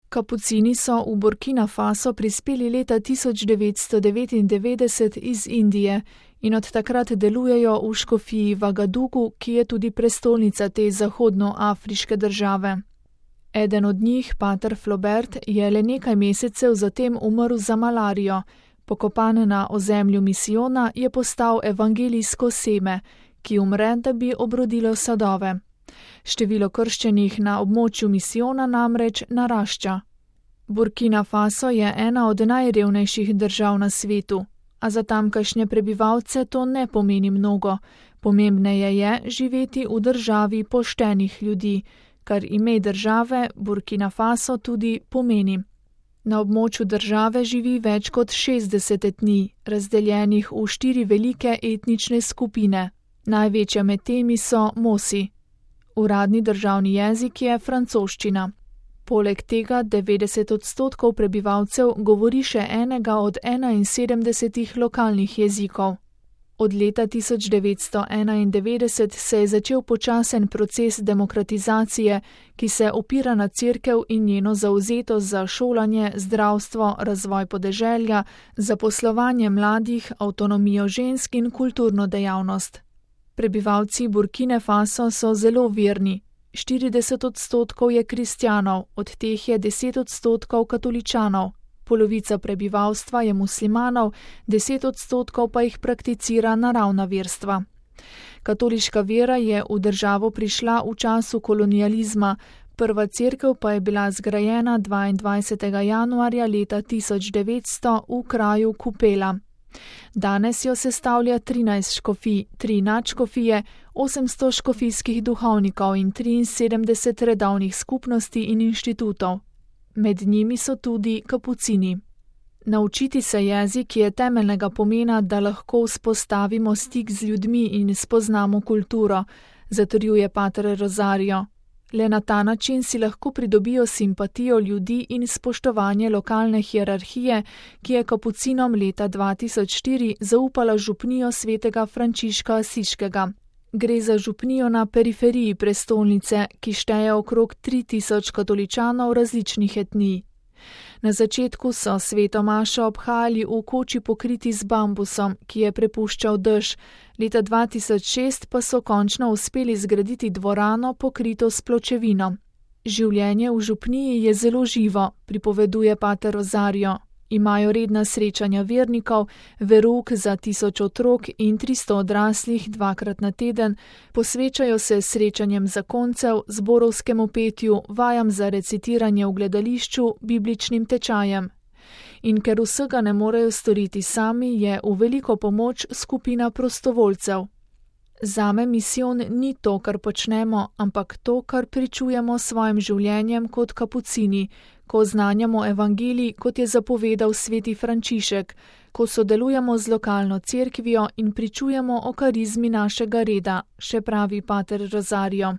Kapucini so v Burkina Faso prispeli leta 1999 iz Indije in od takrat delujejo v škofiji Vagadugu, ki je tudi prestolnica te zahodnoafriške države. Eden od njih, pater Flobert, je le nekaj mesecev zatem umrl za malarijo. Pokopan na ozemlju misijona je postal evangelijsko seme, ki umre, da bi obrodilo sadove. Število krščenih na območju misijona namreč narašča. Burkina Faso je ena od najrevnejših držav na svetu, a za tamkajšnje prebivalce to ne pomeni mnogo. Pomembneje je živeti v državi poštenih ljudi, kar ime države Burkina Faso tudi pomeni. Na območju države živi več kot 60 etnij, razdeljenih v 4 velike etnične skupine. Največja med temi so Mosi. Uradni državni jezik je francoščina. Poleg tega 90% prebivalcev govori še enega od 71 lokalnih jezikov. Od leta 1991 se je začel počasen proces demokratizacije, ki se opira na cerkev in njeno zavzetost za šolanje, zdravstvo, razvoj podeželja, zaposlovanje mladih, avtonomijo žensk in kulturno dejavnost. Prebivalci Burkine Faso so zelo verni. 40% je kristjanov, od teh je 10% katoličanov. Polovica prebivalstva je muslimanov, 10% pa jih prakticira naravna verstva. Katoliška vera je v državo prišla v času kolonializma, prva cerkev pa je bila zgrajena 22. januarja leta 1900 v kraju Kupela. Danes jo sestavlja 13 škofij, 3 nadškofije, 800 škofijskih duhovnikov in 73 redovnih skupnosti in inštitutov. Med njimi so tudi kapucini. Naučiti se jezik je temeljnega pomena, da lahko vzpostavimo stik z ljudmi in spoznamo kulturo, zatrjuje pater Rosario. Le na ta način si lahko pridobijo simpatijo ljudi in spoštovanje lokalne hierarhije, ki je kapucinom leta 2004 zaupala župnijo svetega Frančiška Asiškega. Gre za župnijo na periferiji prestolnice, ki šteje okrog 3000 katoličanov različnih etnij. Na začetku so sveto mašo obhajali v koči pokriti z bambusom, ki je prepuščal dež, leta 2006 pa so končno uspeli zgraditi dvorano pokrito s pločevino. Življenje v župniji je zelo živo, pripoveduje pater Rosario. Imajo redna srečanja vernikov, verouk za 1000 otrok in 300 odraslih 2krat na teden, posvečajo se srečanjem zakoncev, zborovskemu petju, vajam za recitiranje v gledališču, bibličnim tečajem. In ker vsega ne morejo storiti sami, je v veliko pomoč skupina prostovoljcev. Zame misijon ni to, kar počnemo, ampak to, kar pričujemo s svojim življenjem kot kapucini, ko oznanjamo evangelij, kot je zapovedal sveti Frančišek, ko sodelujemo z lokalno cerkvijo in pričujemo o karizmi našega reda, še pravi pater Rosario.